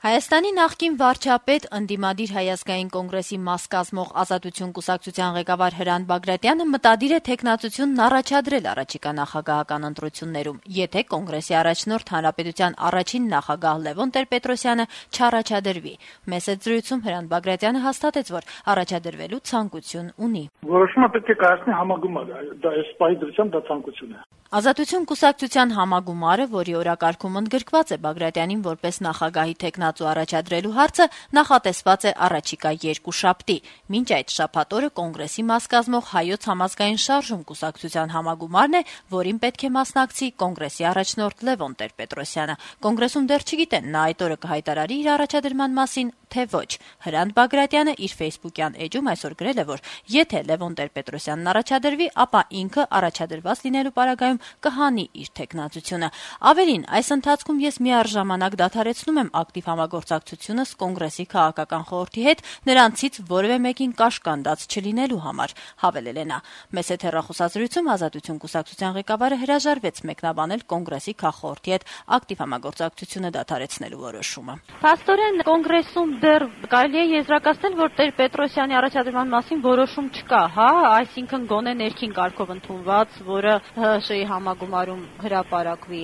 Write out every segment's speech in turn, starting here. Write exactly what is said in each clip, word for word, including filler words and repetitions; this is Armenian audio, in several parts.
Հայաստանի նախկին վարչապետ, ընդդիմադիր Հայ ազգային կոնգրեսի մաս կազմող Ազատություն կուսակցության ղեկավար Հրանտ Բագրատյանը մտադիր է թեկնածությունն առաջադրել առաջիկա նախագահական ընտրություններում, եթե կոնգրեսի առաջնորդ Հանրապետության առաջին նախագահ Լևոն Տեր-Պետրոսյանը չառաջադրվի։ Մեսեջրույցում Հրանտ Բագրատյանը հաստատեց, որ առաջադրվելու ցանկություն ունի։ Որոշումը պետք է կայացնի համագումար, դա այս պահի դրությամբ դա ցանկություն է։ Ազատություն կուսակցության համագումարը, որի օրակարգում ընդգրկված է Բագրատյանին որպես նախագահի թեկնածու առաջադրելու հարցը, նախատեսված է առաջիկա երկուշաբթի։ Մինչ այդ շաբաթ օրը կոնգրեսի մաս կազմող Հայոց համազգային շարժում կուսակցության համագումարն է, որին պետք է մասնակցի կոնգրեսի առաջնորդ Լևոն Տեր-Պետրոսյանը։ Կոնգրեսում դեռ չգիտեն նա այդ օրը կհայտարարի իր առաջադրման մասին, թե ոչ։ Հրանտ Բագրատյանը իր ֆեյսբուքյան էջում այսօր գրել է, որ եթե Լևոն Տեր-Պետրոսյանն առաջադրվի, ապա ինքը առաջադրված լինելու պարագայում կհանի իր թեկնածությունը։ Ավելին, այս ընթացքում ես միառժամանակ դադարեցնում եմ ակտիվ համագործակցությունս կոնգրեսի քաղաքական խորհրդի հետ, նրանցից որևէ մեկին կաշկանդած չլինելու համար, հավելել է նա։ Մեծ հետ հեռախոսազրույցում Ազատություն կուսակցության ղեկավարը հրաժարվեց մեկնաբանել կոնգրեսի քաղխորհրդի հետ ակտիվ համագործակցությունը դադարեցնելու որոշումը։ Փաստորեն կոնգրեսում դեռ կարելի է եզրակացնել, որ Տեր-Պետրոսյանի առաջադրման մասին որոշում չկա, հա, այսինքն գոնե ներքին կարգով ընդունված, որը ՀՀՇ-ի համագումարում հրապարակվի։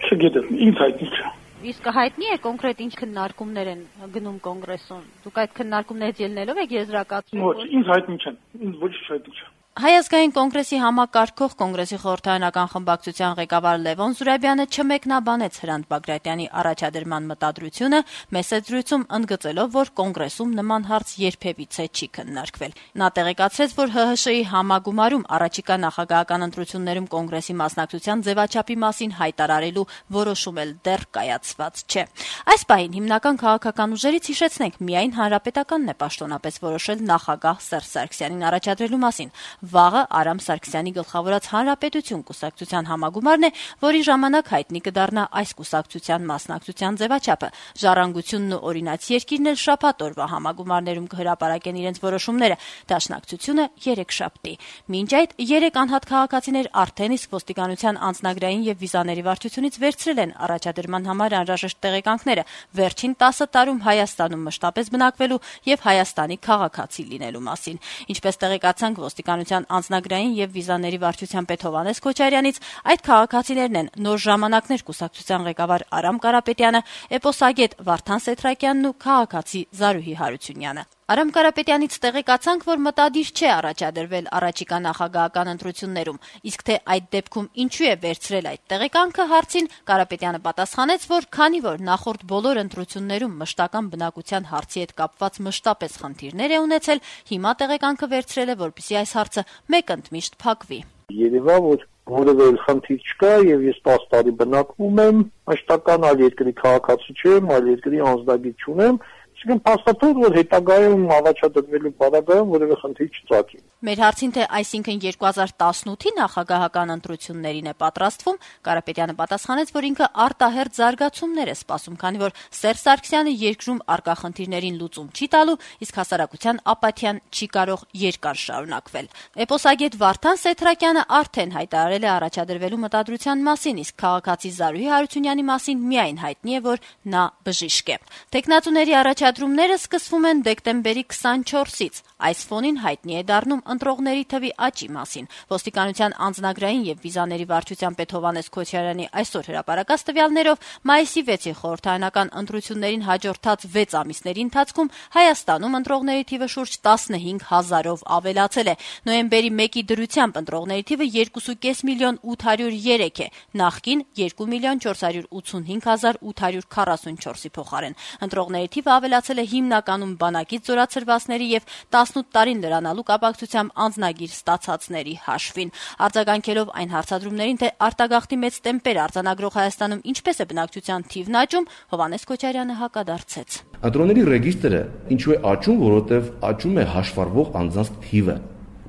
Չգիտեմ, ինձ հայտնի չէ։ Իսկ հայտնի է կոնկրետ ինչ քննարկումներ են գնում կոնգրեսում։ Դուք այդ քննարկումներից ելնելով եք եզրակացնում։ Ոչ, ինձ հայտնի չեն, ինձ ոչ հայտնի չէ։ Հայ ազգային կոնգրեսի համակարգող կոնգրեսի խորհրդարանական խմբակցության ղեկավար Լևոն Զուրաբյանը չմեկնաբանեց Հրանտ Բագրատյանի առաջադրման մտադրությունը, մեսեջրույցում ընդգծելով, որ կոնգրեսում նման հարց երբևիցե չի քննարկվել։ Նա տեղեկացրեց, որ ՀՀՇ-ի համագումարում առաջիկա նախագահական ընտրություններում կոնգրեսի մասնակցության ձևաչափի մասին հայտարարելու որոշում էլ դեռ կայացված չէ։ Այս պահին հիմնական քաղաքական ուժերից հիշեցնենք, միայն Հանրապետականն է պաշտոնապես որոշել նախագահ Սերժ Սարգսյանին առաջադրելու մասին։ Վաղը Արամ Սարգսյանի գլխավորած Հանրապետություն կուսակցության համագումարն է, որի ժամանակ հայտնի կդառնա այս կուսակցության մասնակցության ձևաչափը։ Ժառանգությունն ու օրինաց երկիրն էլ շաբաթ օրվա համագումարներում կհրապարակեն իրենց որոշումները, դաշնակցությունը երեքշաբթի։ Մինչ այդ երեք անհատ քաղաքացիներ արդեն իսկ ոստիկանության անձնագրային եւ վիզաների վարչությունից վերցրել են առաջադրման համար անհրաժեշտ տեղեկանքները վերջին տասը տարում Հայաստանում մշտապես բնակվելու եւ Հայաստանի քաղաքացի լինելու մասին։ Ինչպես տեղեկացանք ոստիկանության անձնագրային եւ վիզաների վարչության պետ Հովհաննես Քոչարյանից, այդ քաղաքացիներն են նոր ժամանակներ կուսակցության ղեկավար Արամ Կարապետյանը, էպոսագետ Վարդան Սեթրակյանն ու քաղաքացի Զարուհի Հարությունյանը։ Արամ Կարապետյանից տեղեկացանք, որ մտադիր չէ առաջադրվել առաջիկա նախագահական ընտրություններում, իսկ թե այդ դեպքում ինչու է վերցրել այդ տեղեկանքը հարցին, Կարապետյանը պատասխանեց, որ քանի որ նախորդ բոլոր ընտրություններում մշտական բնակության հարցի հետ կապված մշտապես խնդիրներ է ունեցել, հիմա տեղեկանքը վերցրել է, որպեսզի այս հարցը մեկընդմիշտ փակվի։ Երևա որ որևէ խնդիր չկա եւ ես տասը տարի բնակվում եմ, մշտական այլ երկրի քաղաքացի չեմ, այլ երկրի անձնագիր չունեմ, Չգիտեմ, փաստաթուղթ, որ հետագայում առաջադրվելու պարագայում որևէ խնդիր չծագի։ Մեր հարցին, թե այսինքն երկու հազար տասնութի նախագահական ընտրություններին է պատրաստվում, Կարապետյանը պատասխանեց, որ ինքը արտահերթ զարգացումներ է սպասում, քանի որ Սերժ Սարգսյանը երկրում առկա խնդիրներին լուծում չի տալու, իսկ հասարակության ապաթիան չի կարող երկար շարունակվել։ Էպոսագետ Վարդան Սեթրակյանը արդեն հայտարարել է առաջադրվելու մտադրության մասին, իսկ քաղաքացի Զարուհի Հարությունյանի մասին միայն հայտնի է, որ նա բժիշկ է։ Տեխնատուների առաջադրումները սկսվում են դեկտեմբերի քսանչորսից։ Այս ֆոնին հայտնի է դառնում ընտրողների թվի աճի մասին։ Ոստիկանության անձնագրային եւ վիզաների վարչության պետ Հովհաննես Քոչարյանի այսօր հրապարակած տվյալներով մայիսի վեցի խորհրդարանական ընտրություններին հաջորդած վեց ամիսների ընթացքում Հայաստանում ընտրողների թիվը շուրջ տասնհինգ հազարով ավելացել է։ Նոյեմբերի մեկի դրությամբ ընտրողների թիվը երկու միլիոն ութ հարյուր երեք է, նախկին երկու միլիոն չորս հարյուր ութսունհինգ հազար ութ հարյուր քառասունչորսի փոխարեն։ Ընտրողների թիվը ավելացել է հիմնականում բանակից զորացրվածների եւ տասնութ տարին լրանալու կապակցությամբ անձնագիր ստացածների հաշվին։ Արձագանքելով այն հարցադրումներին, թե արտագաղթի մեծ տեմպեր արձանագրող Հայաստանում ինչպես է բնակչության թիվն աճում, Հովհաննես Քոչարյանը հակադարձեց։ Ընտրողների ռեգիստրը ինչու է աճում, որովհետեւ աճում է հաշվառվող անձանց թիվը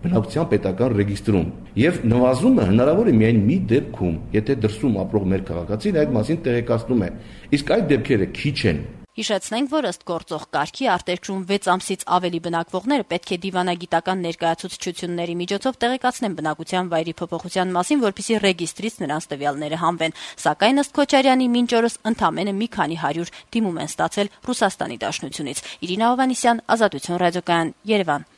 բնակության պետական ռեգիստրում եւ նվազում է հնարավոր է միայն մի դեպքում, եթե դրսում ապրող մեր քաղաքացին այդ մասին տեղեկացնում է։ Իսկ այդ դեպքերը քիչ են։ Հիշեցնենք, որ ըստ գործող կարգի արտերկրում վեց ամսից ավելի բնակվողները պետք է դիվանագիտական ներկայացուցչությունների միջոցով տեղեկացնեն բնակության վայրի փոփոխության մասին, որպեսզի ռեգիստրից նրանց տվյալները հանվեն, սակայն ըստ Քոչարյանի մինչ օրս ընդամենը մի քանի հարյուր դիմում են ստացել Ռուսաստանի Դաշնությունից։ Իրինա Հովհաննիսյան, Ազատություն ռադիոկայան, Երևան։